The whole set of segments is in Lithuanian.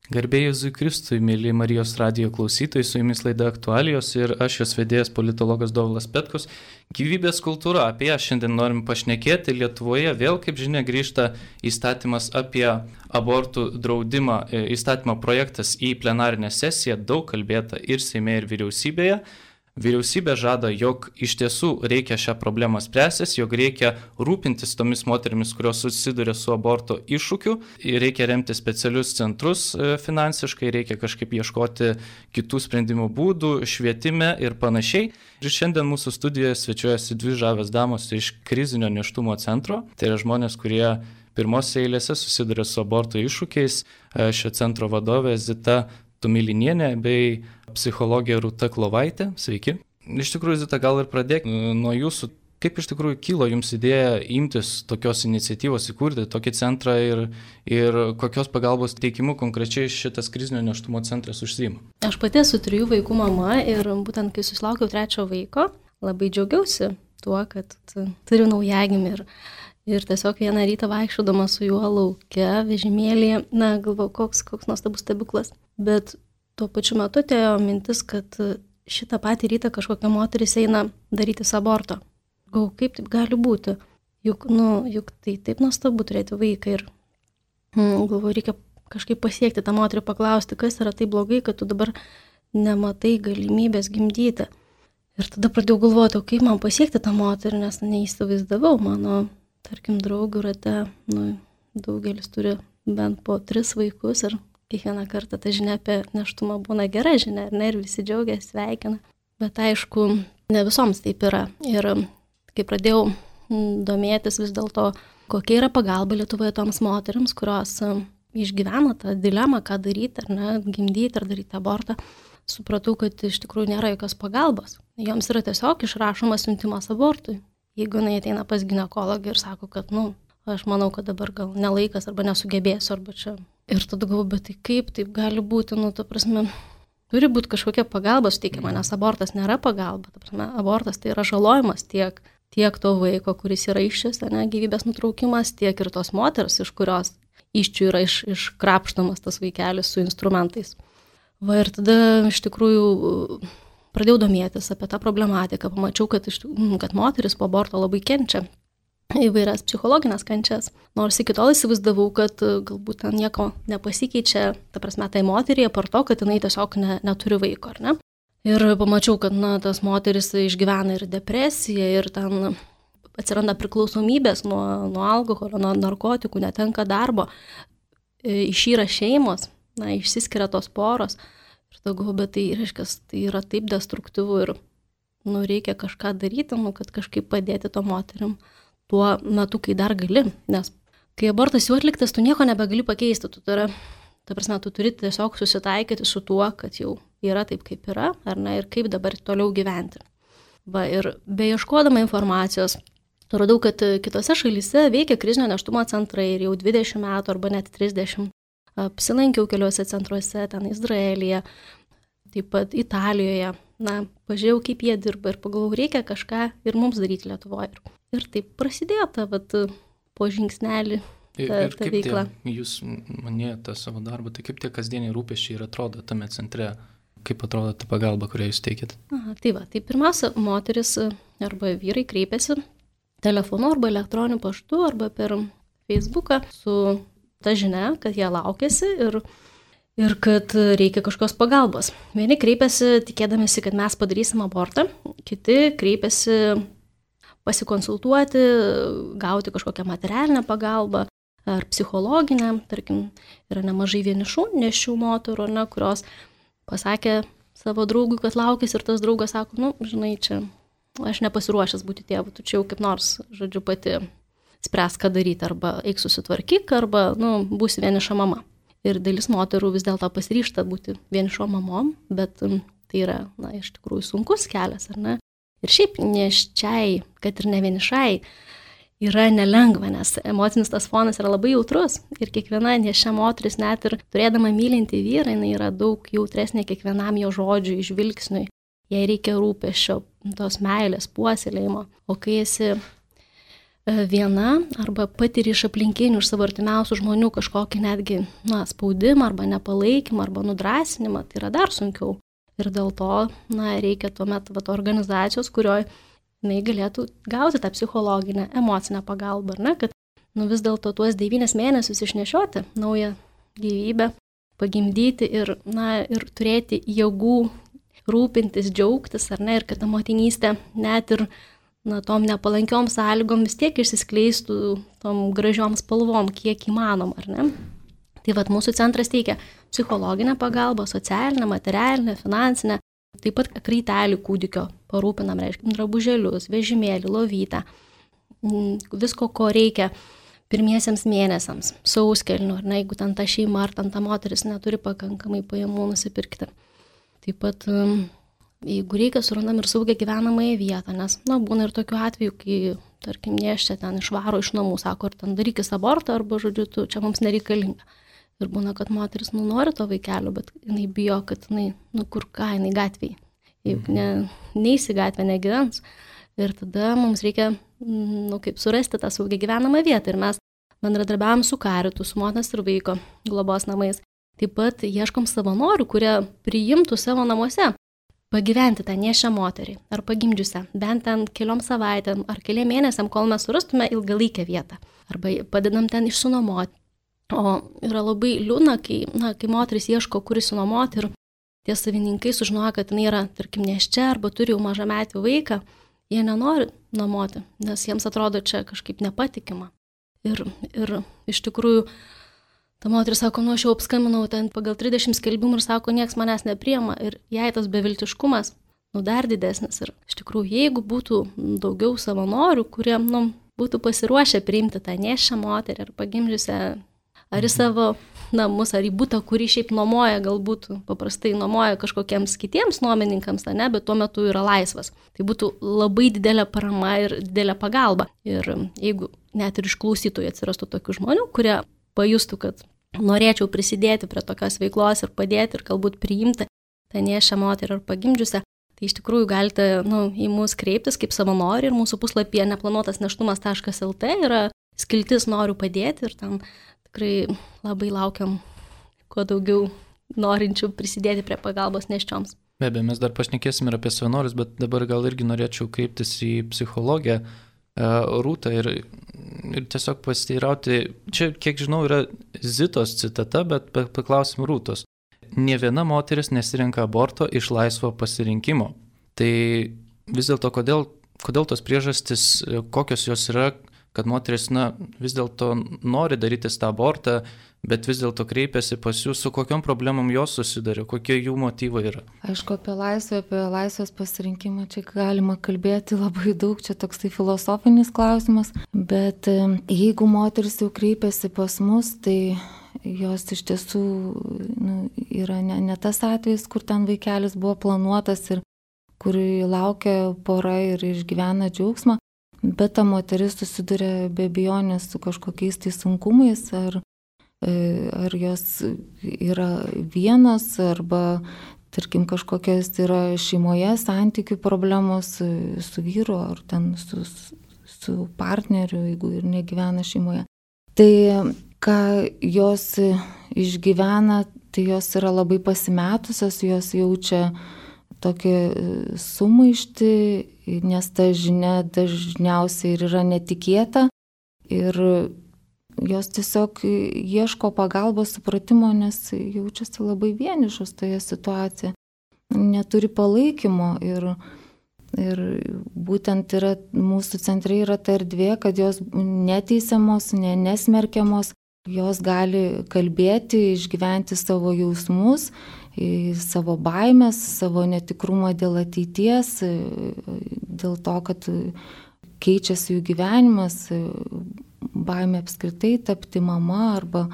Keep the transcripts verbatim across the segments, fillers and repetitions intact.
Garbė Jėzui Kristui, mėly Marijos radijo klausytojai, su jumis laida Aktualijos ir aš jos vedėjas politologas Dovilas Petkus. Gyvybės kultūra, apie ją šiandien norim pašnekėti. Lietuvoje vėl, kaip žinia, grįžta įstatymas apie abortų draudimą. Įstatymo projektas į plenarinę sesiją, daug kalbėta ir Seime, ir vyriausybėje. Vyriausybė žada, jog iš tiesų reikia šią problemą spręstis, jog reikia rūpintis tomis moterimis, kurios susiduria su aborto iššūkiu, reikia remti specialius centrus finansiškai, reikia kažkaip ieškoti kitų sprendimo būdų, švietime ir panašiai. Ir šiandien mūsų studijoje svečiuojasi dvi žavios damos iš krizinio nėštumo centro. Tai yra žmonės, kurie pirmose eilėse susiduria su aborto iššūkiais. Šio centro vadovė Zita Tumilinienė bei psichologė Rūta Klovaitė. Sveiki. Iš tikrųjų, Zita, gal ir pradėkime nuo jūsų. Kaip iš tikrųjų kilo jums idėja imtis tokios iniciatyvos, įkurti tokį centrą ir, ir kokios pagalbos teikimu konkrečiai šitas krizinio nėštumo centras užsiima? Aš pati esu trijų vaikų mama ir būtent kai susilaukiau trečio vaiko, labai džiaugiausi tuo, kad turiu naujagimį ir, ir tiesiog vieną rytą vaikščiodama su juo lauke, vežimėlyje, na, galvojau, koks, koks nuostabus stebuklas. Bet tuo pačiu metu atėjo mintis, kad šitą patį rytą kažkokia moteris eina darytis aborto. Galvoju, kaip taip gali būti? Juk, nu, juk tai taip nuostabu turėti vaiką ir mm, galvoju, reikia kažkaip pasiekti tą moterį, paklausti, kas yra taip blogai, kad tu dabar nematai galimybės gimdyti. Ir tada pradėjau galvoti, o kaip man pasiekti tą moterį, nes neįsivaizdavau. Mano, tarkim, draugų rate, nu, daugelis turi bent po tris vaikus ir kiekvieną kartą ta žinia apie nėštumą būna gera žinia, ne, ir visi džiaugiasi, sveikina. Bet aišku, ne visoms taip yra. Ir kai pradėjau domėtis vis dėlto, kokia yra pagalba Lietuvoje toms moteriams, kurios išgyvena tą dilemą, ką daryti, ar ne, gimdyti, ar daryti abortą, supratau, kad iš tikrųjų nėra jokios pagalbos. Joms yra tiesiog išrašomas siuntimas abortui. Jeigu jinai ateina pas ginekologą ir sako, kad, nu, aš manau, kad dabar gal nelaikas, arba nesugebėsiu, arba čia. Ir tada galvoju, bet tai kaip taip gali būti, nu, ta prasme, turi būti kažkokia pagalba suteikiama, nes abortas nėra pagalba, ta prasme, abortas tai yra žalojimas tiek, tiek to vaiko, kuris yra iššis, ne, gyvybės nutraukimas, tiek ir tos moters, iš kurios iščių yra iš, iškrapštamas tas vaikelis su instrumentais. Va ir tada iš tikrųjų pradėjau domėtis apie tą problematiką, pamačiau, kad, iš, kad moteris po aborto labai kenčia įvairias psichologinės kančias. Nors iki tol įsivaizdavau, kad galbūt ten nieko nepasikeičia, ta prasme, tai moteriai, apart to, kad jinai tiesiog ne, neturi vaiko, ar ne? Ir pamačiau, kad, na, tas moteris išgyvena ir depresiją, ir ten atsiranda priklausomybės nuo, nuo alkoholio, nuo narkotikų, netenka darbo, išyra šeimos, na, išsiskiria tos poros. Ir tada, bet tai, reiškia, tai yra taip destruktyvu ir, nu, reikia kažką daryti, nu, kad kažkaip padėti to moterim tuo metu, kai dar gali, nes kai abortas jau atliktas, tu nieko nebegali pakeisti, tu turi, ta prasme, tu turi tiesiog susitaikyti su tuo, kad jau yra taip, kaip yra, ar ne, ir kaip dabar toliau gyventi. Va, ir beieškodama informacijos, radau, kad kitose šalyse veikia krizinio nėštumo centrai ir jau dvidešimt metų arba net trisdešimt. Apsilankiau keliuose centruose, ten Izraelyje, taip pat Italijoje. Na, pažiūrėjau, kaip jie dirba ir pagalvojau, reikia kažką ir mums daryti Lietuvoje. Ir taip prasidėjo ta, vat, po žingsnelį ta, ir, ir ta veikla. Tie, jūs manėjote savo darbą, tai kaip tie kasdieniai rūpesčiai ir atrodo tame centre, kaip atrodo ta pagalba, kurią jūs teikėt? Aha, tai va, tai pirmiausia, moteris arba vyrai kreipiasi telefonu arba elektroniniu paštu arba per Facebooką su ta žinia, kad jie laukiasi ir ir kad reikia kažkokios pagalbos. Vieni kreipiasi tikėdamėsi, kad mes padarysim abortą, kiti kreipiasi pasikonsultuoti, gauti kažkokią materialinę pagalbą ar psichologinę. Tarkim, yra nemažai vienišų nešių moterų, ne, kurios pasakė savo draugui, kad laukis ir tas draugas sako, nu, žinai, čia aš nepasiruošęs būti tėvu, tu čia jau kaip nors, žodžiu, pati spręs, ką daryti, arba eik susitvarkyk, arba, nu, būsi vieniša mama. Ir dalis moterų vis dėlto pasiryžta būti vienišom mamom, bet tai yra, na, iš tikrųjų sunkus kelias, ar ne? Ir šiaip nėščiai, kad ir ne vienišai, yra nelengva, nes emocinis tas fonas yra labai jautrus. Ir kiekviena nėščia moteris, net ir turėdama mylintį vyrą, jinai yra daug jautresnė kiekvienam jo žodžiui, žvilgsniui. Jai reikia rūpesčio, tos meilės, puoselėjimo. O kai esi viena arba patiri iš aplinkinių, iš savo artimiausių žmonių kažkokį netgi na, spaudimą arba nepalaikymą arba nudrasinimą, tai yra dar sunkiau. Ir dėl to na, reikia tuomet vat, organizacijos, kurioje jinai galėtų gauti tą psichologinę, emocinę pagalbą, ar ne, kad nu, vis dėlto tuos devynis mėnesius išnešioti naują gyvybę, pagimdyti ir, na, ir turėti jėgų rūpintis, džiaugtis, ar ne, ir kad ta motinystė net ir na, tom nepalankiom sąlygom vis tiek išsiskleistų tom gražiom spalvom, kiek įmanom, ar ne. Tai vat mūsų centras teikia psichologinę pagalbą, socialinę, materialinę, finansinę, taip pat kraitelį kūdikio parūpinam, reiškia, drabužėlius, vežimėlį, lovytę, visko, ko reikia pirmiesiems mėnesiams, sauskelnių, ar ne, jeigu ten ta šeima ar ten ta moteris neturi pakankamai pajamų nusipirkti. Taip pat, jeigu reikia, surandam ir saugią gyvenamąją vietą, nes, na, būna ir tokių atvejų, kai, tarkim, nėščia ten išvaro iš namų, sako, ar ten darykis abortą, arba, žodžiu, tu, čia mums nereikalinga. Ir būna, kad moteris, nu, nori to vaikelio, bet jinai bijo, kad jinai, nu, kur ką, jinai gatvėje. Juk ne, neįsi gatvę, negyvens. Ir tada mums reikia, nu, kaip surasti tą saugią gyvenamą vietą. Ir mes bendradarbiavom su Karitu, su motinos ir vaiko globos namais. Taip pat ieškom savanorių, kurie priimtų savo namuose pagyventi tą nėščią moterį ar pagimdžiusią, bent ten keliom savaitėm ar keliom mėnesiam, kol mes surastume ilgalaikę vietą. Arba padedam ten išsinuomoti. O yra labai liūdna, kai, na, kai moteris ieško, kur išsinuomoti ir tie savininkai sužinoja, kad jinai yra, tarkim, nėščia arba turi jau mažametį vaiką, jie nenori nuomoti, nes jiems atrodo čia kažkaip nepatikima. Ir, ir iš tikrųjų, ta moteris sako, nu, aš jau apskambinau ten pagal trisdešimt skelbimų ir sako, nieks manęs nepriema. Ir jai tas beviltiškumas, nu, dar didesnis. Ir iš tikrųjų, jeigu būtų daugiau savanorių, kurie, nu, būtų pasiruošę priimti tą nėščią moterį ar pagimdžiusią, ar į savo namus, ar į butą, kurį šiaip nuomoja, galbūt paprastai nuomoja kažkokiems kitiems nuomininkams, ne, bet tuo metu yra laisvas. Tai būtų labai didelė parama ir didelė pagalba. Ir jeigu net ir iš klausytojų atsirastų tokių žmonių, kurie pajustų, kad norėčiau prisidėti prie tokios veiklos ir padėti ir galbūt priimti tą nėščią moterį ar pagimdžiusią, tai iš tikrųjų galite nu, į mus kreiptis kaip savanoriai ir mūsų puslapyje neplanuotas neštumas taškas el tė yra skiltis noriu padėti ir tam tikrai labai laukiam kuo daugiau norinčių prisidėti prie pagalbos nėščioms. Be abejo, mes dar pašnekėsim ir apie savanorius, bet dabar gal irgi norėčiau kreiptis į psichologę Rūtą ir, ir tiesiog pasiteirauti, čia kiek žinau yra Zitos citata, bet paklausim Rūtos. Nė viena moteris nesirenka aborto iš laisvo pasirinkimo. Tai vis dėlto kodėl, kodėl tos priežastis, kokios jos yra, kad moteris na, vis dėlto nori darytis tą abortą, bet vis dėlto kreipiasi pas jūs, su kokiom problemom jos susiduria, kokie jų motyvai yra. Aišku, apie laisvę, apie laisvės pasirinkimą čia galima kalbėti labai daug, čia toks tai filosofinis klausimas, bet jeigu moteris jau kreipiasi pas mus, tai jos iš tiesų nu, yra ne, ne tas atvejis, kur ten vaikelis buvo planuotas ir kur laukia pora ir išgyvena džiaugsmą, bet ta moteris susiduria be abejonės su kažkokiais tai sunkumais, ar, ar jos yra vienos, arba, tarkim, kažkokios yra šeimoje santykių problemos su vyru, ar ten su, su partneriu, jeigu ir negyvena šeimoje. Tai ką jos išgyvena, tai jos yra labai pasimetusios, jos jaučia tokia sumaištį, nes ta žinia dažniausiai ir yra netikėta ir jos tiesiog ieško pagalbos supratimo, nes jaučiasi labai vienišos toje situacijoje, neturi palaikymo ir, ir būtent yra, mūsų centre yra ta erdvė, kad jos neteisiamos, ne, nesmerkiamos, jos gali kalbėti, išgyventi savo jausmus, savo baimės, savo netikrumą dėl ateities, dėl to, kad keičiasi jų gyvenimas, baimė apskritai tapti mama arba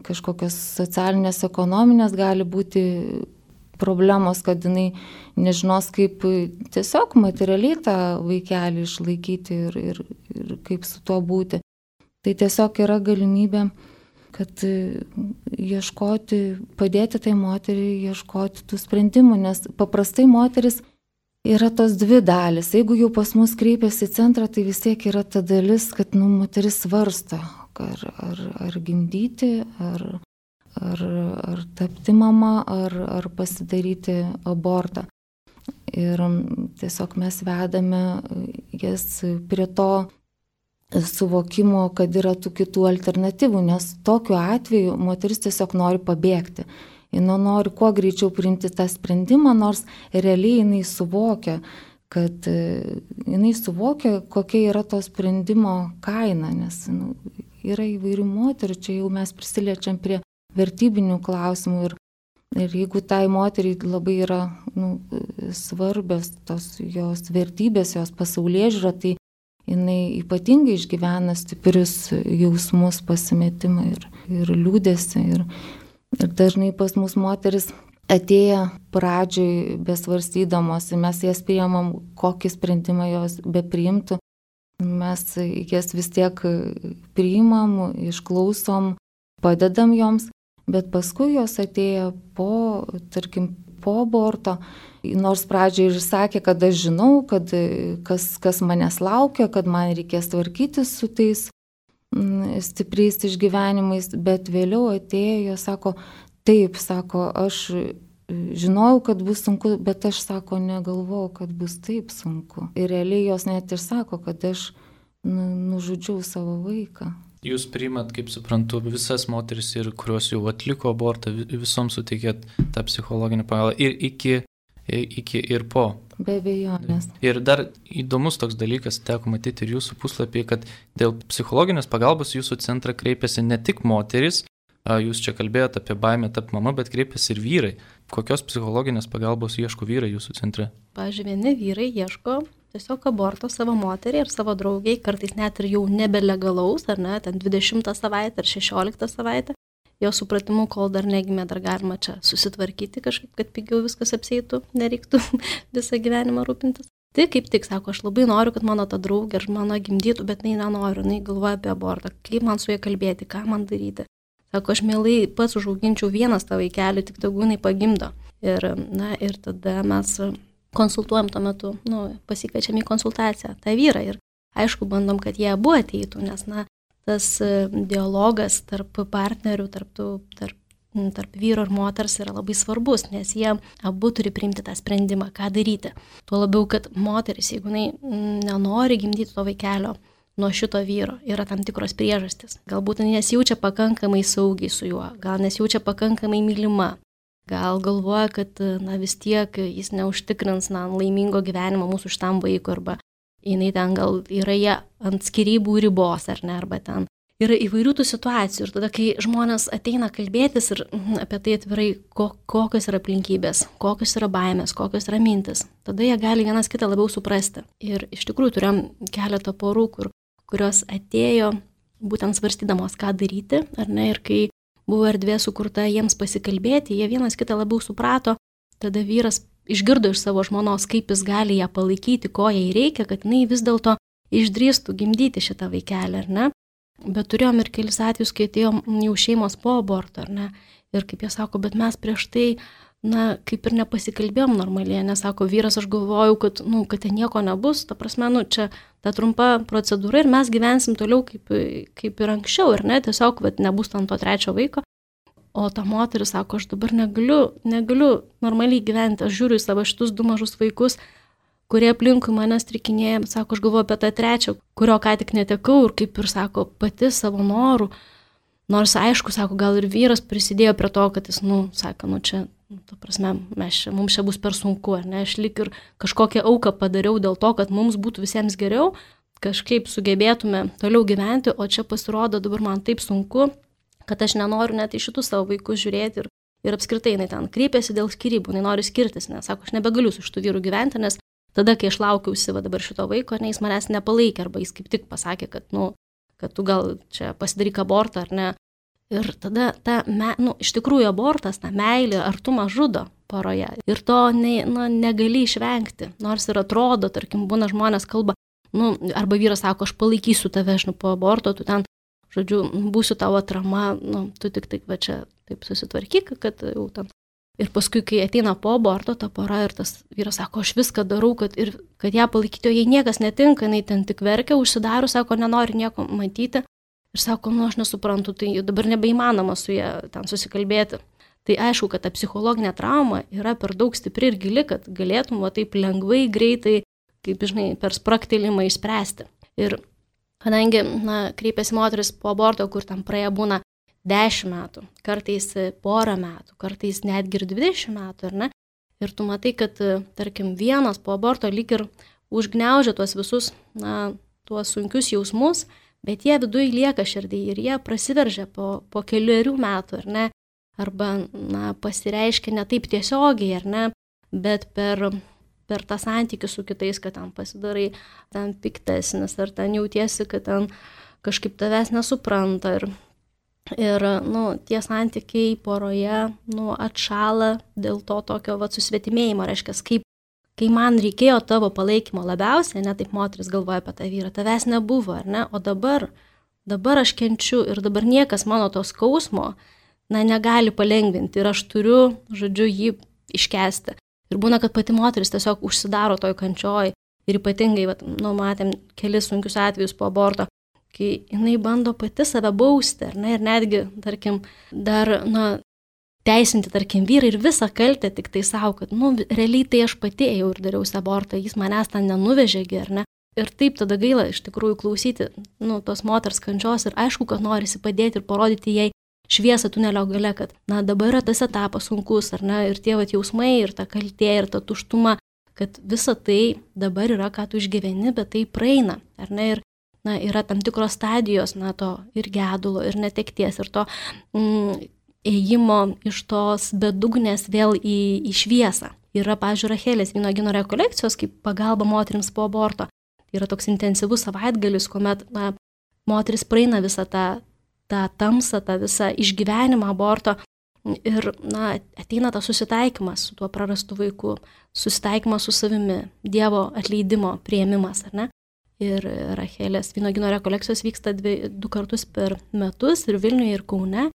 kažkokios socialinės, ekonominės gali būti problemos, kad jinai nežinos, kaip tiesiog materialiai tą vaikelį išlaikyti ir, ir, ir kaip su tuo būti. Tai tiesiog yra galimybė, kad ieškoti, padėti tai moteriai ieškoti tų sprendimų, nes paprastai moteris yra tos dvi dalis. Jeigu jau pas mus kreipiasi į centrą, tai vis tiek yra ta dalis, kad nu, moteris svarsto, ar, ar, ar gimdyti, ar, ar, ar tapti mama, ar, ar pasidaryti abortą. Ir tiesiog mes vedame jas prie to suvokimo, kad yra tų kitų alternatyvų, nes tokiu atveju moteris tiesiog nori pabėgti. Jis nori kuo greičiau priimti tą sprendimą, nors realiai jinai suvokia, kad jinai suvokia, kokia yra to sprendimo kaina, nes nu, yra įvairių moterų, čia jau mes prisiliečiam prie vertybinių klausimų ir, ir jeigu tai moteriai labai yra nu, svarbios tos jos vertybės, jos pasaulėžiūra, tai jinai ypatingai išgyvena stiprius jausmus, pasimetimą ir, ir liūdesį. Ir, ir dažnai pas mus moteris atėję pradžioj besvarstydamos, mes jas priimam, kokį sprendimą jos bepriimtų, mes jas vis tiek priimam, išklausom, padedam joms, bet paskui jos atėjo po, tarkim, po aborto, nors pradžioj ir sakė, kad aš žinau, kad kas, kas manęs laukia, kad man reikės tvarkytis su tais stipriais išgyvenimais, bet vėliau atėjo, jos sako, taip, sako, aš žinojau, kad bus sunku, bet aš, sako, negalvojau, kad bus taip sunku. Ir realiai jos net ir sako, kad aš nu, nužudžiau savo vaiką. Jūs priimat, kaip suprantu, visas moteris, ir kurios jau atliko abortą, visoms suteikėt tą psichologinį pagalbą ir iki, iki ir po. Be abejonės. Ir dar įdomus toks dalykas, teko matyti ir jūsų puslapį, kad dėl psichologinės pagalbos jūsų centrą kreipiasi ne tik moteris, jūs čia kalbėjote apie baimę tapti mama, bet kreipiasi ir vyrai. Kokios psichologinės pagalbos ieško vyrai jūsų centre? Pavyzdžiui, vieni vyrai ieško tiesiog aborto savo moteriai ir savo draugiai, kartais net ir jau nebelegalaus, ar ne, ten dvidešimtą savaitę ar šešioliktą savaitę, jo supratimu, kol dar negimė, dar galima čia susitvarkyti kažkaip, kad pigiau viskas apsieitų, nereiktų visą gyvenimą rūpintis. Tai kaip tik sako, aš labai noriu, kad mano ta draugė ar mano gimdytų, bet jinai nenoriu, jinai galvoja apie abortą, kaip man su ja kalbėti, ką man daryti. Sako, aš mielai pats užauginčiau vienas tą vaikelį, tik tegu jinai pagimdo. Ir, na, ir tada mes konsultuojam tuo metu, nu, pasikviečiam į konsultaciją tą vyrą ir aišku, bandom, kad jie abu ateitų, nes, na, tas dialogas tarp partnerių, tarp, tų, tarp, tarp vyro ir moters yra labai svarbus, nes jie abu turi priimti tą sprendimą, ką daryti. Tuo labiau, kad moteris, jeigu jinai nenori gimdyti to vaikelio nuo šito vyro, yra tam tikros priežastys. Galbūt nesijaučia pakankamai saugiai su juo, gal nesijaučia pakankamai mylima. Gal galvoja, kad na, vis tiek jis neužtikrins na, laimingo gyvenimo mūsų šitam vaikui, arba jinai ten gal yra jie ant skyrybų ribos, ar ne, arba ten yra įvairių tų situacijų. Ir tada, kai žmonės ateina kalbėtis ir apie tai atvirai, ko, kokios yra aplinkybės, kokios yra baimės, kokios yra mintis, tada jie gali vienas kitą labiau suprasti. Ir iš tikrųjų turėjom keletą porų, kur, kurios atėjo būtent svarstydamos, ką daryti, ar ne, ir kai buvo erdvė sukurta jiems pasikalbėti, jie vienas kitą labiau suprato, tada vyras išgirdo iš savo žmonos, kaip jis gali ją palaikyti, ko jai reikia, kad jinai vis dėlto išdrįstų gimdyti šitą vaikelį, ar ne? Bet turėjom ir kelis atvejus, kai atėjom jau šeimos po aborto, ar ne? Ir kaip jie sako, bet mes prieš tai, na, kaip ir nepasikalbėjom normaliai, nes sako, vyras, aš galvojau, kad, nu, kad ten nieko nebus, ta prasme, nu, čia ta trumpa procedūra ir mes gyvensim toliau kaip, kaip ir anksčiau, ar ne, tiesiog, vat, nebus ten to trečio vaiko. O ta moteris sako, aš dabar negaliu, negaliu normaliai gyventi, aš žiūriu į savo šitus du mažus vaikus, kurie aplinkui mane strikinėja, sako, aš galvoju apie tą trečią, kurio ką tik netekau ir kaip ir sako, pati savo norų. Nors aišku, sako, gal ir vyras prisidėjo prie to, kad jis, nu, sako, nu čia, ta prasme, mes čia, mums čia bus per sunku, ar ne, aš lik ir kažkokią auką padariau dėl to, kad mums būtų visiems geriau, kažkaip sugebėtume toliau gyventi, o čia pasirodo dabar man taip sunku, kad aš nenoriu net į šitus savo vaikus žiūrėti ir, ir apskritai jinai ten kreipėsi dėl skyrybų, jinai nori skirtis, nes sako, aš nebegaliu su šitų vyrų gyventi, nes tada, kai aš laukiausi va dabar šito vaiko, ne, jis manęs nepalaikė, arba jis kaip tik pasakė, kad, nu, kad tu gal čia pasidaryk abortą, ar ne. Ir tada, ta, me, nu, iš tikrųjų abortas, ta meilė, artumą žudo poroje. Ir to ne, nu, negali išvengti. Nors ir atrodo, tarkim, būna žmonės kalba, nu, arba vyras sako, aš palaikysiu tave, aš nu, po aborto, tu ten, žodžiu, būsiu tavo atrama, nu, tu tik taip va čia taip susitvarkyk, kad jau ten Ir paskui, kai ateina po aborto ta pora ir tas vyras sako, aš viską darau, kad, ir, kad ją palaikyti, o jai niekas netinka, jinai ten tik verkia, užsidaro, sako, nenori nieko matyti. Ir sako, nu aš nesuprantu, tai dabar nebeįmanoma su ją ten susikalbėti. Tai aišku, kad ta psichologinė trauma yra per daug stipri ir gili, kad galėtum va taip lengvai, greitai, kaip žinai, per spraktelimą išspręsti. Ir kadangi, na, kreipiasi moteris po aborto, kur tam praėję būna dešimt metų, kartais porą metų, kartais netgi ir dvidešimt metų, ar ne? Ir tu matai, kad, tarkim, vienas po aborto lyg ir užgniaužia tuos visus, na, tuos sunkius jausmus, bet jie viduje lieka širdyje ir jie prasiveržia po, po keliarių metų, ar ne? Arba, na, pasireiškia ne taip tiesiogiai, ar ne? Bet per, per tą santykį su kitais, kad ten pasidarai ten piktesnis, ar ten jautiesi, kad ten kažkaip tavęs nesupranta ir Ir, nu, tie santykiai poroje, nu, atšala dėl to tokio, va, susvetimėjimo, reiškia, kaip, kai man reikėjo tavo palaikymo labiausiai, ne taip moteris galvoja apie tą vyrą, tavęs nebuvo, ar ne, o dabar, dabar aš kenčiu ir dabar niekas mano to skausmo, na, negali palengvinti ir aš turiu, žodžiu, jį iškesti. Ir būna, kad pati moteris tiesiog užsidaro toj kančioj ir ypatingai, va, nu, matėm kelis sunkius atvejus po aborto, kai jinai bando pati save bausti, ar ne, ir netgi, tarkim, dar, na, teisinti, tarkim, vyrą ir visą kaltę tik tai savo, kad, nu, realiai tai aš pati ėjau ir dariausi abortą, jis manęs ten nenuvežėgi, ar ne. Ir taip tada gaila iš tikrųjų klausyti, nu, tos moters kančios ir aišku, kad norisi padėti ir parodyti jai šviesą tunelio gale, kad, na, dabar yra tas etapas sunkus, ar ne, ir tie vat jausmai, ir ta kaltė, ir ta tuštuma, kad visa tai dabar yra, ką tu išgyveni, bet tai praeina, ar ne, ir na, yra tam tikros stadijos, na, to ir gedulo, ir netekties, ir to mm, ėjimo iš tos bedugnės vėl į, į šviesą. Yra, pavyzdžiui, Rachelės vynuogyno rekolekcijos, kaip pagalba moterims po aborto. Yra toks intensyvus savaitgalis, kuomet, na, moteris praeina visą tą, tą tamsą, tą visą išgyvenimą aborto ir, na, ateina tas susitaikymas su tuo prarastu vaiku, susitaikymas su savimi, Dievo atleidimo priėmimas, ar ne? Ir Rachelės vynuogyno rekolekcijos vyksta dvi, du kartus per metus ir Vilniuje, ir Kaune,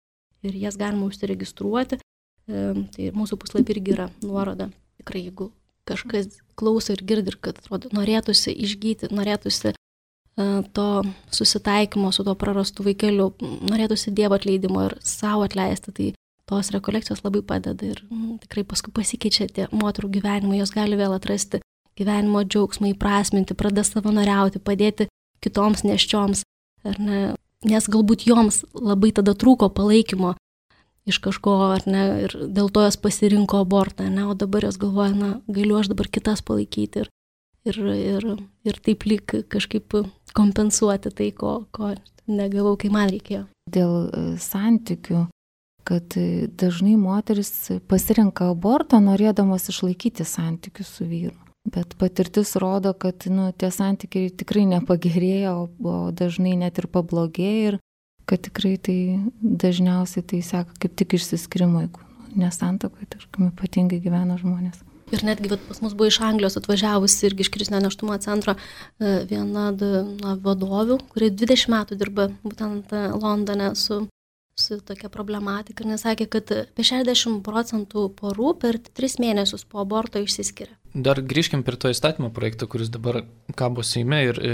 ir jas galima užsiregistruoti. E, tai mūsų puslapį irgi yra nuoroda. Tikrai, jeigu kažkas klauso ir girdi, ir kad atrodo, norėtųsi išgyti, norėtųsi e, to susitaikymo su tuo prarastu vaikeliu, norėtųsi Dievo atleidimo ir savo atleisti, tai tos rekolekcijos labai padeda ir m, tikrai paskui pasikeičia tie moterų gyvenimai, jos gali vėl atrasti gyvenimo džiaugsmą, įprasminti, pradeda savanoriauti, padėti kitoms nėščioms, ar ne, nes galbūt joms labai tada trūko palaikymo iš kažko, ar ne, ir dėl to jos pasirinko abortą, ne, o dabar jos galvoja, na, galiu aš dabar kitas palaikyti ir, ir, ir, ir taip lyg kažkaip kompensuoti tai, ko, ko negavau, kai man reikėjo. Dėl santykių, kad dažnai moteris pasirenka abortą, norėdamas išlaikyti santykius su vyru. Bet patirtis rodo, kad, nu, tie santykiai tikrai nepagerėja, o, o dažnai net ir pablogėja ir kad tikrai tai dažniausiai tai seka kaip tik išsiskirimo, jeigu nesantuokoje, tarkim, ypatingai gyvena žmonės. Ir netgi vat, pas mus buvo iš Anglijos atvažiavusi irgi iš krizinio nėštumo centro viena na, vadovių, kuri dvidešimt metų dirba būtent Londone su su tokia problematika ir nesakė, kad apie šešiasdešimt procentų porų per tris mėnesius po aborto išsiskiria. Dar grįžkim prie to įstatymo projekto, kuris dabar kabo Seime ir e,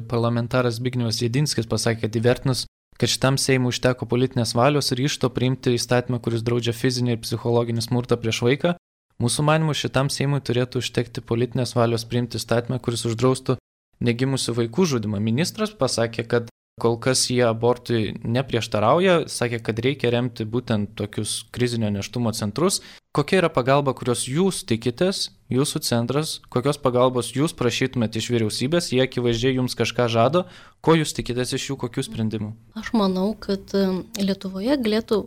parlamentaras Zbignevas Jedinskis pasakė, kad įvertinus, kad šitam Seimui užteko politinės valios ir ryžto priimti įstatymą, kuris draudžia fizinį ir psichologinį smurtą prieš vaiką, mūsų manymu šitam Seimui turėtų užtekti politinės valios priimti įstatymą, kuris uždraustų negimusių vaikų žudymą. Ministras pasakė, kad kol kas jie abortui neprieštarauja, sakė, kad reikia remti būtent tokius krizinio nėštumo centrus. Kokia yra pagalba, kurios jūs tikitės, jūsų centras, kokios pagalbos jūs prašytumėte iš vyriausybės, jie akivaizdžiai jums kažką žado, ko jūs tikitės iš jų, kokių sprendimų? Aš manau, kad Lietuvoje galėtų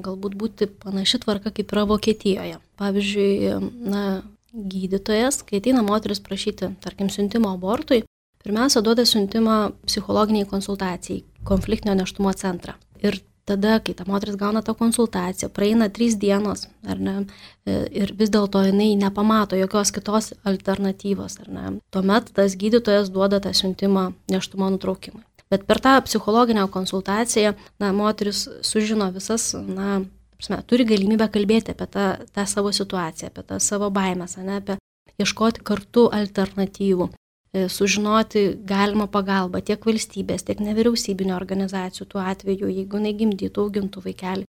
galbūt būti panaši tvarka, kaip yra Vokietijoje. Pavyzdžiui, na, gydytojas, kai ateina moteris prašyti, tarkim, siuntimo abortui, pirmiausia, duoda siuntimą psichologiniai konsultacijai, konfliktinio nėštumo centrą. Ir tada, kai ta moteris gauna tą konsultaciją, praeina trys dienos, ar ne, ir vis dėlto jinai nepamato jokios kitos alternatyvos, ar ne. Tuomet tas gydytojas duoda tą siuntimą nėštumo nutraukimui. Bet per tą psichologinę konsultaciją, na, moteris sužino visas, na, turi galimybę kalbėti apie tą, tą savo situaciją, apie tą savo baimės, ne, apie ieškoti kartu alternatyvų, sužinoti galimą pagalbą tiek valstybės, tiek nevyriausybinio organizacijų tuo atveju, jeigu jinai gimdytų, augintų vaikelį,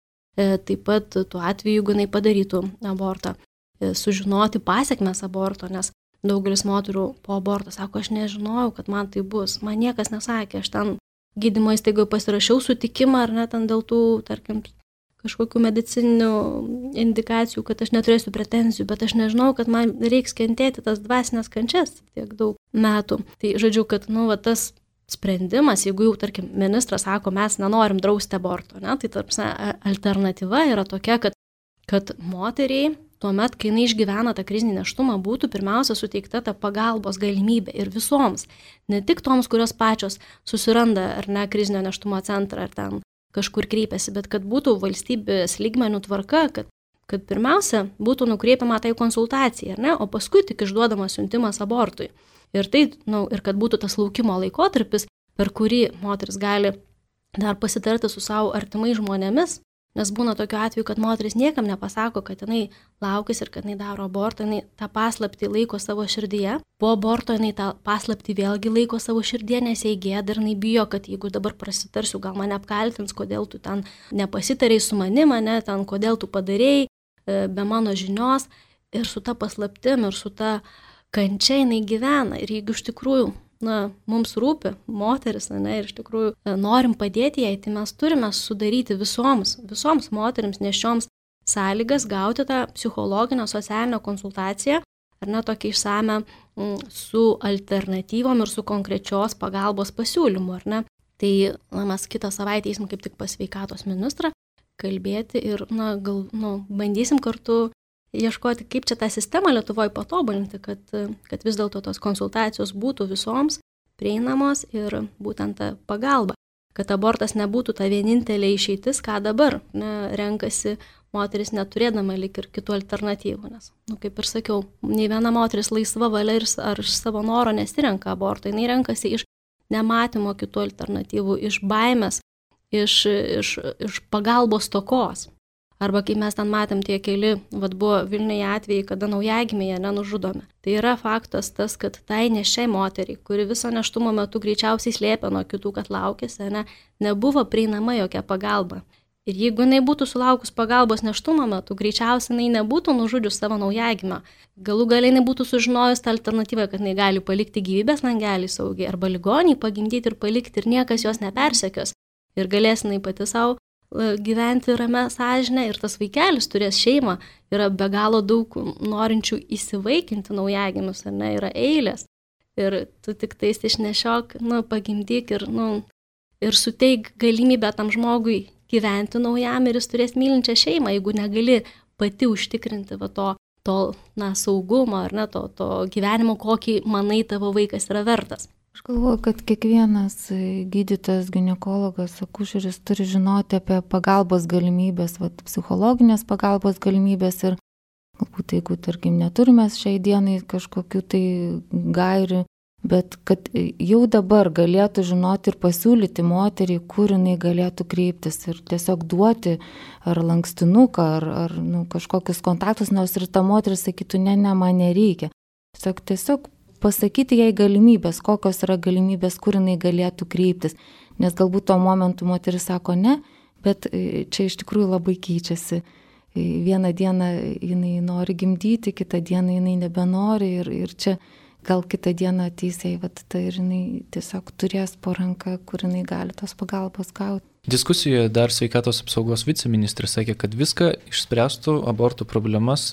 taip pat tuo atveju, jeigu jinai padarytų abortą, sužinoti pasiekmes aborto, nes daugelis moterų po aborto sako, aš nežinojau, kad man tai bus, man niekas nesakė, aš ten gydymo įstaigoje pasirašiau sutikimą ar net dėl tų, tarkim, kažkokių medicininių indikacijų, kad aš neturėsiu pretenzijų, bet aš nežinau, kad man reiks kentėti tas dvasinės kančias tiek daug metų. Tai žodžiu, kad nu, va, tas sprendimas, jeigu jau, tarkim, ministras sako, mes nenorim drausti aborto, ne, tai tarpsne, alternatyva yra tokia, kad, kad moteriai tuomet, kai jinai išgyvena tą krizinį nėštumą, būtų pirmiausia suteikta ta pagalbos galimybė ir visoms, ne tik toms, kurios pačios susiranda ar ne krizinio nėštumo centrą ar ten kažkur kreipiasi, bet kad būtų valstybės lygmenių tvarka, kad, kad pirmiausia būtų nukreipiama tai konsultacijai, ar ne, o paskui tik išduodamas siuntimas abortui. Ir, tai, nu, ir kad būtų tas laukimo laikotarpis, per kurį moteris gali dar pasitarti su savo artimai žmonėmis, nes būna tokiu atveju, kad moteris niekam nepasako, kad jinai laukis ir kad jinai daro abortą, jinai tą paslaptį laiko savo širdyje. Po aborto jinai tą paslaptį vėlgi laiko savo širdyje, nes jai gėda ir jinai bijo, kad jeigu dabar prasitarsiu, gal mane apkaltins, kodėl tu ten nepasitarei su manim, ne, ten kodėl tu padarėjai be mano žinios. Ir su ta paslaptim ir su ta kančia jinai gyvena. Ir jeigu iš tikrųjų na, mums rūpi moteris, ne, ir iš tikrųjų norim padėti jai, tai mes turime sudaryti visoms, visoms moterims nešioms sąlygas gauti tą psichologinę, socialinę konsultaciją, ar ne tokią išsame su alternatyvom ir su konkrečios pagalbos pasiūlymu, ar ne. Tai na, mes kitą savaitę eisim kaip tik pas sveikatos ministrą kalbėti ir na, gal, nu, bandysim kartu ieškoti, kaip čia tą sistemą Lietuvoje patobulinti, kad, kad vis dėlto tos konsultacijos būtų visoms prieinamos ir būtent ta pagalba, kad abortas nebūtų ta vienintelė išeitis, ką dabar ne, renkasi moteris neturėdama lik ir kitų alternatyvų, nes, nu, kaip ir sakiau, nei viena moteris laisva valia ir ar iš savo noro nesirenka aborto, jinai renkasi iš nematymo kitų alternatyvų, iš baimės, iš, iš, iš pagalbos stokos. Arba kaip mes ten matėm tie keli, vad buvo Vilniuje atvejai, kada naujagimėje nenužudomi. Tai yra faktas tas, kad tai neščiai moteriai, kuri viso nėštumo metu greičiausiai slėpė nuo kitų, kad laukėsi, ne, nebuvo prieinama jokia pagalba. Ir jeigu jinai būtų sulaukus pagalbos nėštumo metu, greičiausiai jinai nebūtų nužudžius savo naujagimą. Galų galiai jinai būtų sužinojus tą alternatyvą, kad jinai gali palikti gyvybės langelį saugiai arba ligonį pagimdyti ir palikti ir niekas jos nepersekios. Ir galės jinai pati savo gyventi ramę sąžinę ir tas vaikelis turės šeimą, yra be galo daug norinčių įsivaikinti naujagimius, ar ne, yra eilės. Ir tu tik tais išnešiok, nu, pagimdyk ir, nu, ir suteik galimybę tam žmogui gyventi naujam ir jis turės mylinčią šeimą, jeigu negali pati užtikrinti va, to, to na, saugumo, ar ne, to, to gyvenimo, kokį manai tavo vaikas yra vertas. Aš galvoju, kad kiekvienas gydytojas, ginekologas, akušeris turi žinoti apie pagalbos galimybės, va, psichologinės pagalbos galimybės ir galbūt, jeigu, tarkim, neturime šiai dienai kažkokių tai gairių, bet kad jau dabar galėtų žinoti ir pasiūlyti moteriai, kur jinai galėtų kreiptis ir tiesiog duoti ar lankstinuką, ar, ar nu, kažkokius kontaktus, nors ir ta moteris sakytų, ne, ne, man nereikia. Tiesiog, tiesiog pasakyti jai galimybės, kokios yra galimybės, kur jinai galėtų kreiptis. Nes galbūt tuo momentu moteris sako ne, bet čia iš tikrųjų labai keičiasi. Vieną dieną jinai nori gimdyti, kitą dieną jinai nebenori ir, ir čia gal kitą dieną ateis jai, vat, tai ir jinai tiesiog turės po ranką, kur jinai gali tos pagalbos gauti. Diskusijoje dar sveikatos apsaugos viceministras sakė, kad viską išspręstų abortų problemas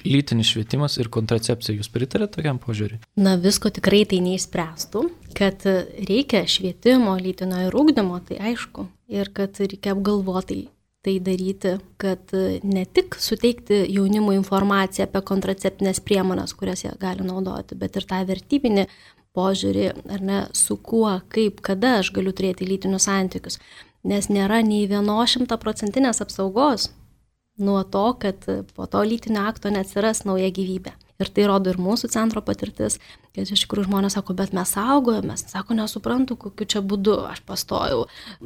lytinis švietimas ir kontracepcija. Jūs pritarėte tokiam požiūriui? Na, visko tikrai tai neišspręstų, kad reikia švietimo, lytinio ir ugdymo, tai aišku, ir kad reikia apgalvotai tai daryti, kad ne tik suteikti jaunimui informaciją apie kontraceptinės priemonės, kurias jie gali naudoti, bet ir tą vertybinį požiūrį, ar ne, su kuo, kaip, kada aš galiu turėti lytinius santykius. Nes nėra nei vienos šimtaprocentinės apsaugos nuo to, kad po to lytinio akto neatsiras nauja gyvybė. Ir tai rodo ir mūsų centro patirtis, kad iš tikrųjų žmonės sako, bet mes saugojame, mes sako, nesuprantu, kokiu čia būdu aš pastojau.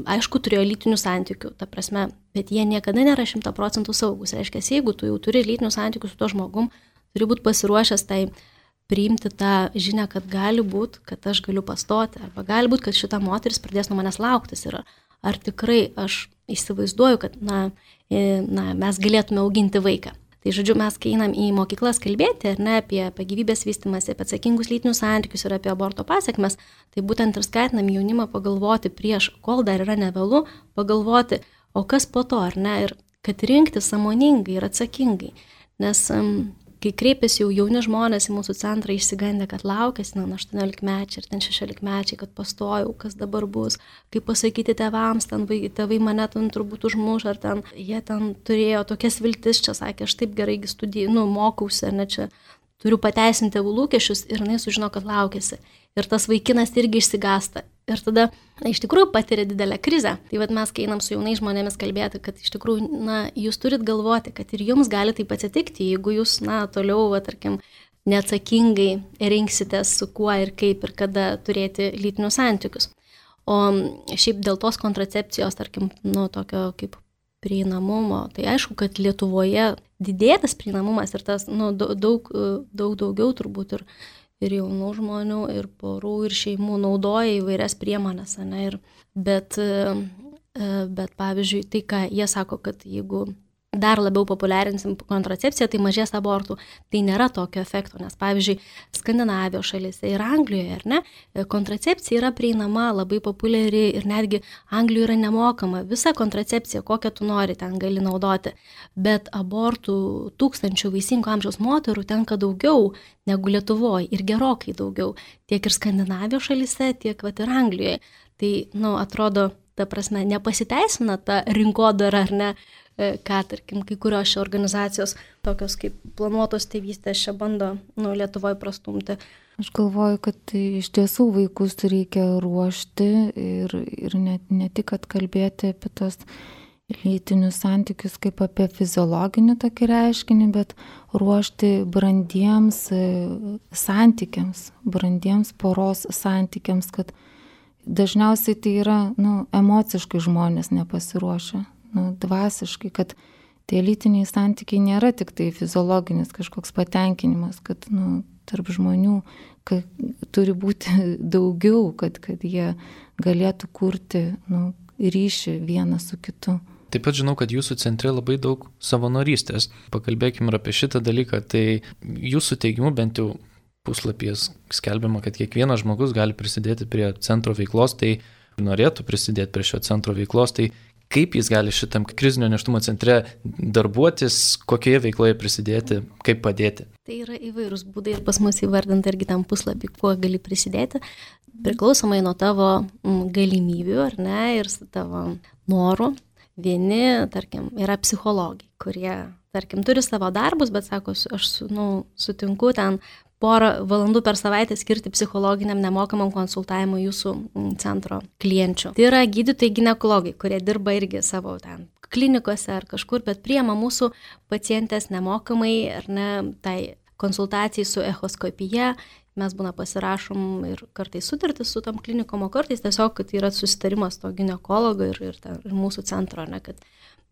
Aišku, turėjo lytinių santykių, ta prasme, bet jie niekada nėra šimta procentų saugus. Reiškia, jeigu tu jau turi lytinių santykių su tuo žmogum, turi būti pasiruošęs tai priimti tą žinią, kad gali būti, kad aš galiu pastoti, arba gali būti, kad šita moteris pradės nuo manęs lauktis ir ar tikrai aš įsivaizduoju, kad na, na, mes galėtume auginti vaiką. Tai žodžiu, mes kai einam į mokyklas kalbėti, ar ne, apie, apie gyvybės vystymąsi, apie atsakingus lytinius santykius ir apie aborto pasekmes, tai būtent ir skatinam jaunimą pagalvoti prieš, kol dar yra nevėlu, pagalvoti, o kas po to, ar ne, ir kad rinkti sąmoningai ir atsakingai. Nes um, kai kreipiasi jau jauni žmonės į mūsų centrą išsigandę, kad laukėsi, na, aštuoniolikmečiai ir ten šešiolikmečiai, kad pastojau, kas dabar bus, kaip pasakyti tėvams, ten tėvai mane ten turbūt užmuš, ar ten jie ten turėjo tokias viltis, čia sakė, aš taip gerai studijų, nu, mokausi, ar ne čia turiu pateisinti tėvų lūkesčius ir jinai sužino, kad laukėsi. Ir tas vaikinas irgi išsigąsta. Ir tada na, iš tikrųjų patiria didelę krizę. Tai vat mes, kai einam su jaunais žmonėmis kalbėti, kad iš tikrųjų, na, jūs turit galvoti, kad ir jums gali taip atsitikti, jeigu jūs, na, toliau, va, tarkim, neatsakingai rinksitės su kuo ir kaip ir kada turėti lytinius santykius. O šiaip dėl tos kontracepcijos, tarkim, nu, tokio kaip prieinamumo, tai aišku, kad Lietuvoje didėtas prieinamumas ir tas, nu, daug, daug daugiau turbūt ir ir jaunų žmonių, ir porų, ir šeimų naudoja įvairias priemonės, ne, ir, bet, bet pavyzdžiui, tai, ką jie sako, kad jeigu dar labiau populiarinsim kontracepciją, tai mažės abortų, tai nėra tokio efekto, nes pavyzdžiui, Skandinavijos šalyse ir Anglijoje, ar ne, kontracepcija yra prieinama, labai populiari ir netgi Anglijoje yra nemokama, visa kontracepcija, kokią tu nori, ten gali naudoti, bet abortų tūkstančių vaisingo amžiaus moterų tenka daugiau negu Lietuvoje ir gerokai daugiau, tiek ir Skandinavijos šalyse, tiek vat, ir Anglijoje. Tai, nu, atrodo, ta prasme, nepasiteisina ta rinkodara, ar ne, ką, tarkim, kai kurios šio organizacijos, tokios kaip planuotos tėvystės, čia bando, nu, Lietuvoje prastumti. Aš galvoju, kad iš tiesų vaikus reikia ruošti ir, ir ne, ne tik atkalbėti apie tos lytinius santykius kaip apie fiziologinį tokį reiškinį, bet ruošti brandiems santykiams, brandiems poros santykiams, kad dažniausiai tai yra, nu, emociškai žmonės nepasiruošę. Nu, dvasiškai, kad tie lytiniai santykiai nėra tik tai fiziologinis kažkoks patenkinimas, kad nu, tarp žmonių kad, turi būti daugiau, kad, kad jie galėtų kurti nu, ryšį vienas su kitu. Taip pat žinau, kad jūsų centre labai daug savanorystės. Pakalbėkime ir apie šitą dalyką. Tai jūsų teigimu bent jau puslapyje skelbiama, kad kiekvienas žmogus gali prisidėti prie centro veiklos, tai norėtų prisidėti prie šio centro veiklos, tai kaip jis gali šitam krizinio nėštumo centre darbuotis, kokioje veikloje prisidėti, kaip padėti? Tai yra įvairūs būdai ir pas mus įvardinta irgi tam puslapį, kuo gali prisidėti, priklausomai nuo tavo galimybių, ar ne, ir tavo norų. Vieni, tarkim, yra psichologai, kurie, tarkim, turi savo darbus, bet sako, aš nu, sutinku ten porą valandų per savaitę skirti psichologiniam nemokamam konsultavimui jūsų centro klienčių. Tai yra gydytojai ginekologai, kurie dirba irgi savo ten klinikose ar kažkur, bet priima mūsų pacientės nemokamai ar ne, tai konsultacijai su echoskopija. Mes būna pasirašom ir kartais sutartis su tam klinikom, o kartais tiesiog, kad yra susitarimas to ginekologo ir, ir, ta, ir mūsų centro, ne, kad,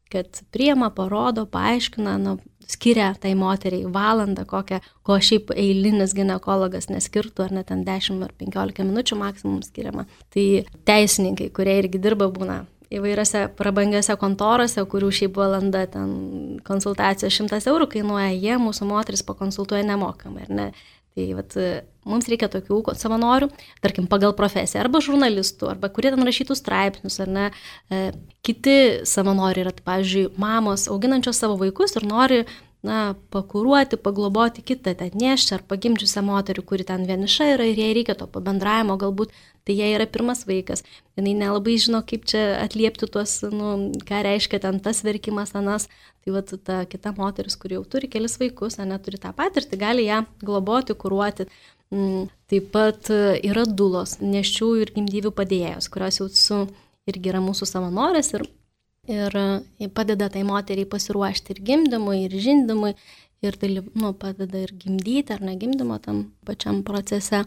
kad priima, parodo, paaiškina, nu, skiria tai moteriai valandą, kokią, ko šiaip eilinis ginekologas neskirtų, ar net ten dešimt ar penkiolika minučių maksimum skiriama. Tai teisininkai, kurie irgi dirba, būna įvairiose prabangiose kontorose, kurių šiaip valanda ten konsultacijos šimtas eurų kainuoja, jie mūsų moteris pakonsultuoja nemokamai, ar ne? Tai vat, mums reikia tokių savanorių, tarkim, pagal profesiją, arba žurnalistų, arba kurie ten rašytų straipsnius, ar ne. E, kiti savanoriai yra, pavyzdžiui, mamos auginančios savo vaikus ir nori na, pakuruoti, pagloboti kitą ten nėščią ar pagimdžiusią moterį, kuri ten vieniša yra ir jai reikia to pabendravimo, galbūt tai jai yra pirmas vaikas. Jinai nelabai žino, kaip čia atliepti tuos, nu, ką reiškia ten tas verkimas, anas. Tai vat, ta kita moteris, kuri jau turi kelis vaikus, neturi tą patirtį, gali ją globoti, kuruoti. Taip pat yra dulos, nėščiųjų ir gimdyvių padėjėjos, kurios jau su, irgi yra mūsų savanorės ir, ir padeda tai moteriai pasiruošti ir gimdymui, ir žindymui, ir tai nu, padeda ir gimdyti ar negimdymo tam pačiam procese.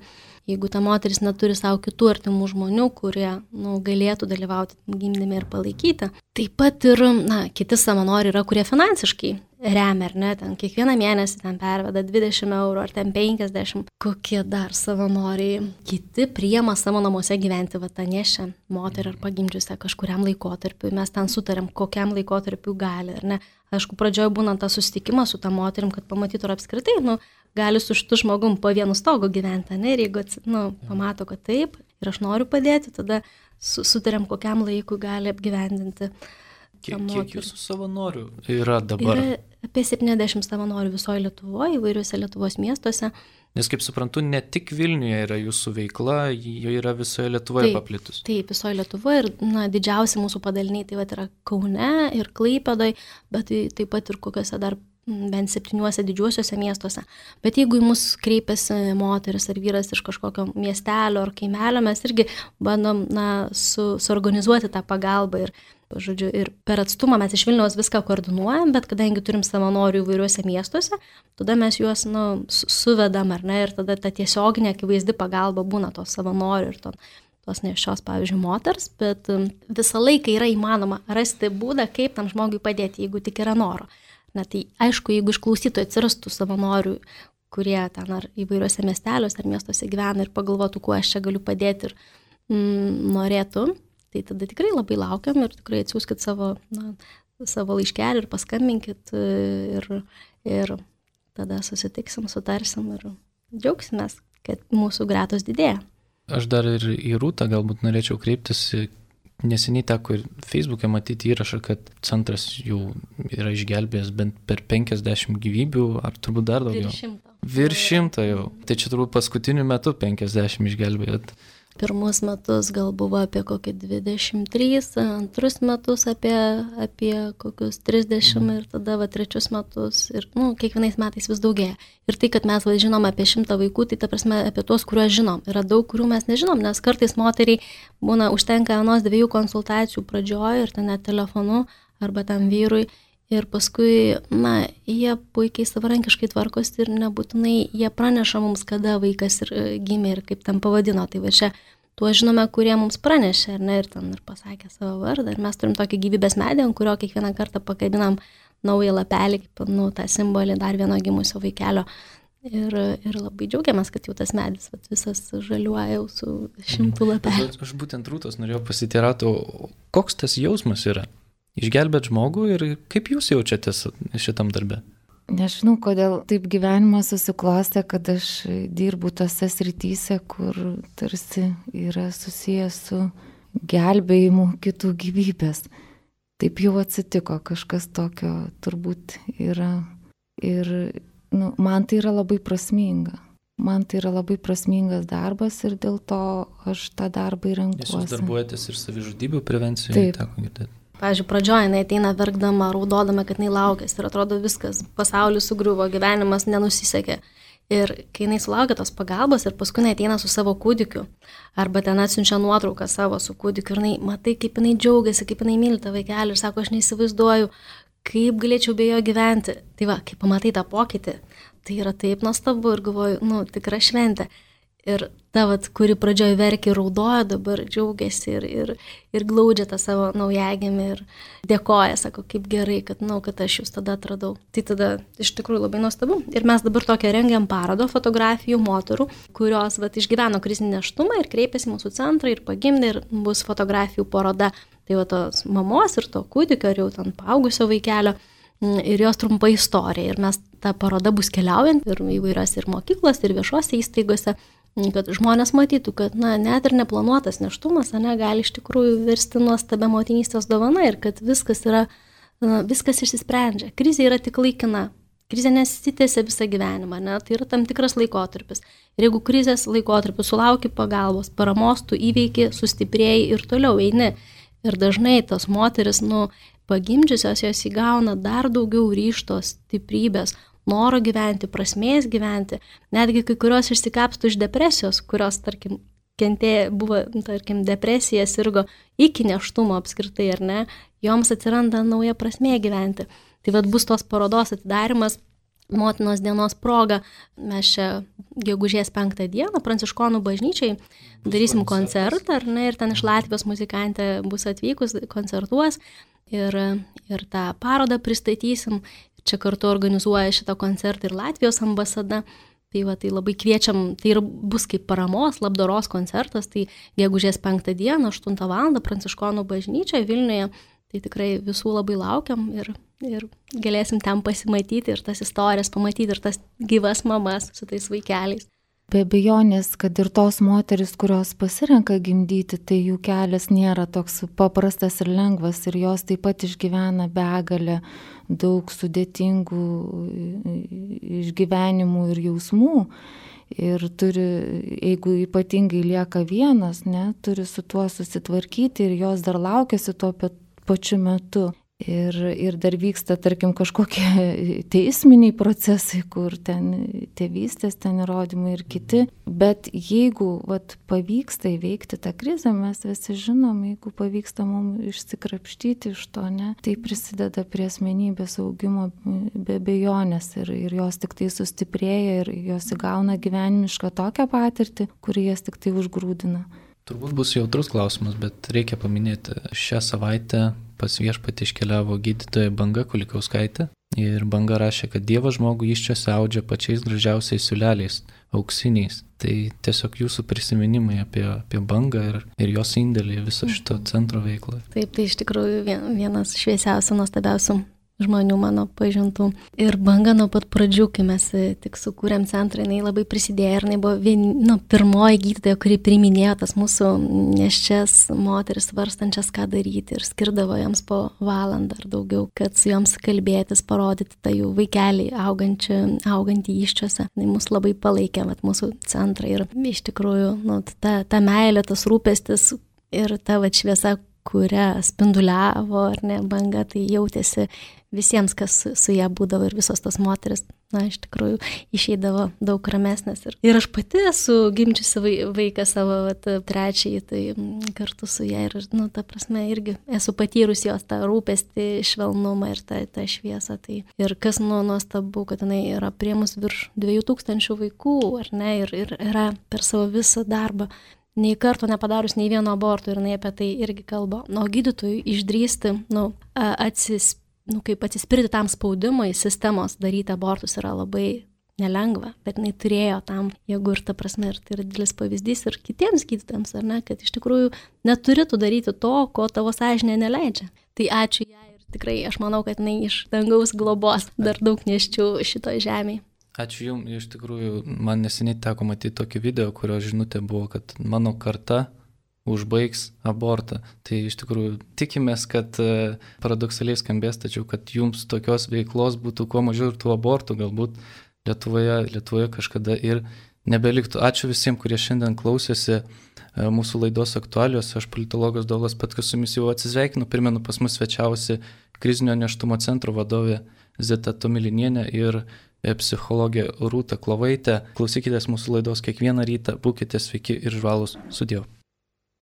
Jeigu ta moteris neturi savo kitų artimų žmonių, kurie nu, galėtų dalyvauti gimdyme ir palaikyti. Taip pat ir na, kiti savanoriai yra, kurie finansiškai remia, ar ne, ten kiekvieną mėnesį ten perveda dvidešimt eurų ar ten penkiasdešimt. Kokie dar savanoriai? Kiti priema savo namuose gyventi va tą nešę moterį ar pagimdžiusią kažkuriam laikotarpiu. Mes ten sutarėm, kokiam laikotarpiu gali, ar ne. Aišku, pradžioje būnant tą susitikimą su tą moterim, kad pamatytų ar apskritai, nu, gali su šitu žmogum po vienu stogu gyventi, ne, ir jeigu nu, pamato, kad taip, ir aš noriu padėti, tada su, sutarėm, kokiam laikui gali apgyvendinti. Kiek, kiek jūsų savanorių yra dabar? Yra apie septyniasdešimt savanorių visoje Lietuvoje, įvairiuose Lietuvos miestuose. Nes, kaip suprantu, ne tik Vilniuje yra jūsų veikla, jo yra visoje Lietuvoje taip, paplitus. Taip, visoje Lietuvoje ir na, didžiausi mūsų padaliniai tai vat, yra Kaune ir Klaipėdoje, bet tai, taip pat ir kokiuose dar bent septyniuose didžiuosiuose miestuose. Bet jeigu į mus kreipiasi moteris ar vyras iš kažkokio miestelio ar kaimelio, mes irgi bandom na, su, suorganizuoti tą pagalbą ir žodžiu, ir per atstumą mes iš Vilniaus viską koordinuojam, bet kadangi turim savanorių įvairiuose miestuose, tada mes juos nu, suvedam, ar ne, ir tada ta tiesioginė akivaizdi pagalba būna tos savanorių ir to, tos nešios, pavyzdžiui, moters, bet visą laiką yra įmanoma rasti būdą, kaip tam žmogui padėti, jeigu tik yra noro. Na tai aišku, jeigu iš klausytojų atsirastų savanorių, kurie ten ar įvairiuose miesteliuose ar miestuose gyvena ir pagalvotų, kuo aš čia galiu padėti ir mm, norėtų, tai tada tikrai labai laukiam ir tikrai atsiųskit savo, na, savo laiškelį ir paskambinkit ir, ir tada susitiksim, sutarsim ir džiaugsimės, kad mūsų gretos didėja. Aš dar ir į Rūtą galbūt norėčiau kreiptis. Neseniai teko ir Facebook'e matyti įrašą, kad centras jau yra išgelbėjęs bent per penkiasdešimt gyvybių, ar turbūt dar daugiau? Virš šimto. Virš šimto jau. Tai čia turbūt paskutiniu metu penkiasdešimt išgelbėjot. Pirmus metus gal buvo apie kokį dvidešimt trys, antrus metus apie, apie kokius trisdešimt ir tada va trečius metus ir nu, kiekvienais metais vis daugėja. Ir tai, kad mes va, žinom apie šimtą vaikų, tai ta prasme apie tuos, kuriuos žinom. Yra daug, kurių mes nežinom, nes kartais moteriai būna užtenka vienos dviejų konsultacijų pradžioje ir ten net telefonu arba tam vyrui. Ir paskui, na, jie puikiai savarankiškai tvarkosi ir nebūtinai jie praneša mums, kada vaikas ir gimė ir kaip tam pavadino. Tai va čia tuo žinome, kurie mums pranešė, ar ne, ir ten ir pasakė savo vardą. Ir mes turim tokį gyvybės medį, ant kurio kiekvieną kartą pakabinam naują lapelį, kaip, nu, tą simbolį dar vieno gimusio vaikelio. Ir, ir labai džiaugiamės, kad jau tas medis vat, visas žaliuoja jau su šimtų lapelių. Aš, aš būtent Rūtos norėjau pasiteirauti, koks tas jausmas yra? Išgelbėt žmogų ir kaip jūs jaučiatės šitam darbe? Nežinau, kodėl taip gyvenimas susiklostė, kad aš dirbu tose srityse, kur tarsi yra susijęs su gelbėjimu kitų gyvybės. Taip jau atsitiko, kažkas tokio turbūt yra. Ir nu, man tai yra labai prasminga. Man tai yra labai prasmingas darbas ir dėl to aš tą darbą ir renkuosi. Nes jūs darbuojatės ir savižudybių prevencijoje, teko girdėti. Pavyzdžiui, pradžioje jinai ateina verkdama, raudodama, kad jinai laukės ir atrodo viskas, pasaulis sugriuvo, gyvenimas nenusisekė. Ir kai jinai sulaukia tos pagalbos ir paskui jinai ateina su savo kūdikiu, arba ten atsiunčia nuotrauką savo su kūdikiu ir jinai, matai, kaip jinai džiaugiasi, kaip jinai myli tą vaikelį ir sako, aš neįsivaizduoju, kaip galėčiau be jo gyventi. Tai va, kai pamatai tą pokytį, tai yra taip nuostabu ir galvoju, nu, tikra šventė. Ir ta, vat, kuri pradžioje verkė ir raudojo, dabar džiaugiasi ir, ir, ir glaudžia tą savo naujagimį ir dėkoja, sako, kaip gerai, kad, nu, kad aš jūs tada atradau. Tai tada iš tikrųjų labai nuostabu. Ir mes dabar tokią rengiam parodą fotografijų moterų, kurios vat, išgyveno krizinį nėštumą ir kreipėsi mūsų centrą ir pagimdė ir bus fotografijų paroda. Tai va tos mamos ir to kūdikio ir jau ten paaugusio vaikelio ir jos trumpa istorija. Ir mes ta paroda bus keliaujant ir įvairiose ir mokyklose, ir viešose įstaigose, kad žmonės matytų, kad na, net ir neplanuotas nėštumas ne, gali iš tikrųjų virsti nuostabia motinystės dovana ir kad viskas, yra, na, viskas išsisprendžia. Krizė yra tik laikina. Krizė nesitęsia visą gyvenimą, ne? Tai yra tam tikras laikotarpis. Ir jeigu krizės laikotarpis sulauki pagalbos, paramos, tu įveiki, sustiprėjai ir toliau eini. Ir dažnai tos moteris, nu, pagimdžiusios, jos įgauna dar daugiau ryžto, stiprybės, noro gyventi, prasmės gyventi, netgi kai kurios išsikapstų iš depresijos, kurios, tarkim, kentėjo, buvo, tarkim, depresija, sirgo iki nėštumo apskritai, ar ne, joms atsiranda nauja prasmė gyventi. Tai vad bus tos parodos atidarimas, motinos dienos proga mes čia gegužės penktą dieną Pranciškonų bažnyčiai darysim koncertą, ar ne, ir ten iš Latvijos muzikantė bus atvykus, koncertuos ir, ir tą parodą pristatysim. Čia kartu organizuoja šitą koncertą ir Latvijos ambasada. Tai, va, tai labai kviečiam, tai ir bus kaip paramos, labdaros koncertas, tai gegužės penktą dieną, aštuntą valandą Pranciškonų bažnyčioje Vilniuje. Tai tikrai visų labai laukiam ir, ir galėsim ten pasimatyti ir tas istorijas pamatyti ir tas gyvas mamas su tais vaikeliais. Be abejonės, kad ir tos moteris, kurios pasirenka gimdyti, tai jų kelias nėra toks paprastas ir lengvas ir jos taip pat išgyvena begalę daug sudėtingų išgyvenimų ir jausmų. Ir turi, jeigu ypatingai lieka vienas, ne, turi su tuo susitvarkyti ir jos dar laukiasi tuo pačiu metu. Ir, ir dar vyksta, tarkim, kažkokie teisminiai procesai, kur ten tėvystės, ten įrodymai ir kiti. Bet jeigu vat, pavyksta įveikti tą krizę, mes visi žinom, jeigu pavyksta mums išsikrapštyti iš to, ne, tai prisideda prie asmenybės augimo be abejonės ir, ir jos tik tai sustiprėja ir jos įgauna gyvenimišką tokią patirtį, kuri jas tik tai užgrūdina. Turbūt bus jautrus klausimas, bet reikia paminėti, šią savaitę pas viešpatį iškeliavo gydytoja Banga Kulikauskaitė ir Banga rašė, kad Dievas žmogų įsčiose audžia pačiais gražiausiais siūleliais, auksiniais. Tai tiesiog jūsų prisiminimai apie, apie Bangą ir, ir jos indėlį viso šito centro veiklą. Taip, tai iš tikrųjų vienas šviesiausių, nuostabiausių žmonių mano pažintų. Ir Banga nuo pat pradžių, kai mes tik sukūrėm centrą, jinai labai prisidėjo ir jinai buvo vien, nu, pirmoji gydytoja, kuri priiminėjo tas mūsų nėščias moteris varstančias, ką daryti ir skirdavo joms po valandą ar daugiau, kad su joms kalbėtis, parodyti tą jų vaikelį augantį įsčiose. Jinai mus labai palaikė, vat, mūsų centrą ir iš tikrųjų nu, ta, ta meilė, tas rūpestis ir ta vat, šviesa, kurią spinduliavo, ar ne, Banga, tai jautėsi visiems, kas su ją būdavo ir visos tos moteris, na, iš tikrųjų, išeidavo daug ramesnės. Ir, ir aš pati esu gimčiusi vaiką savo vat, trečiai, tai kartu su ją ir, nu, ta prasme, irgi esu patyrus jos tą rūpestį, švelnumą ir tą, tą šviesą. Tai. Ir kas nu, nuostabu, kad jinai yra priėmus virš dviejų tūkstančių vaikų, ar ne, ir, ir yra per savo visą darbą nei karto nepadarius nei vieno aborto ir jinai apie tai irgi kalba. O gydytojui išdrįsti, nu, atsis, nu, kaip atsispirti tam spaudimui sistemos daryti abortus yra labai nelengva, bet jinai turėjo tam, jeigu ir ta prasme, ir tai yra didelis pavyzdys ir kitiems gydytojams, ar ne, kad iš tikrųjų neturi tu daryti to, ko tavo sąžinė neleidžia. Tai ačiū jai ir tikrai aš manau, kad jinai iš dangaus globos dar daug neščių šitoj žemėje. Ačiū Jums, iš tikrųjų, man neseniai teko matyti tokį video, kurio žinutė buvo, kad mano karta užbaigs abortą. Tai iš tikrųjų tikimės, kad paradoksaliai skambės, tačiau kad Jums tokios veiklos būtų kuo mažiau ir tų abortų galbūt Lietuvoje, Lietuvoje kažkada ir nebeliktų. Ačiū visiems, kurie šiandien klausėsi mūsų laidos aktualijos. Aš politologas Dovydas Petkus su Jumis jau atsisveikinu. Primenu, pas mus svečiavosi krizinio nėštumo centro vadovė Zita Tomilinienė ir psichologė Rūta Klovaitė. Klausykitės mūsų laidos kiekvieną rytą, būkite sveiki ir žvalūs. Sudiev.